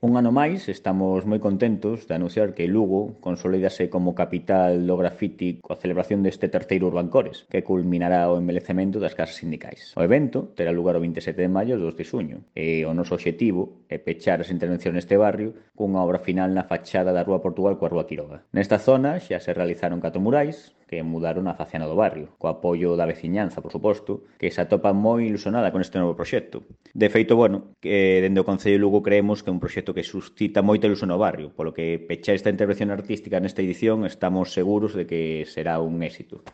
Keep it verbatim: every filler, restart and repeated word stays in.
Un ano máis, estamos moi contentos de anunciar que Lugo consolídase como capital do grafiti coa celebración deste terceiro Urbancores, que culminará o envelecemento das casas sindicais. O evento terá lugar o vinte e sete de maio e dos de xuño, e o noso obxectivo é pechar as intervencións neste barrio cunha obra final na fachada da Rúa Portugal coa Rúa Quiroga. Nesta zona xa se realizaron catro murais que mudaron a faciana do barrio, co apoio da veciñanza, por suposto, que se atopa moi ilusionada con este novo proxecto. De feito, bueno, que dende o Concello de Lugo creemos que é un proxecto que suscita moita ilusión no barrio, polo que pechar esta intervención artística nesta edición estamos seguros de que será un éxito.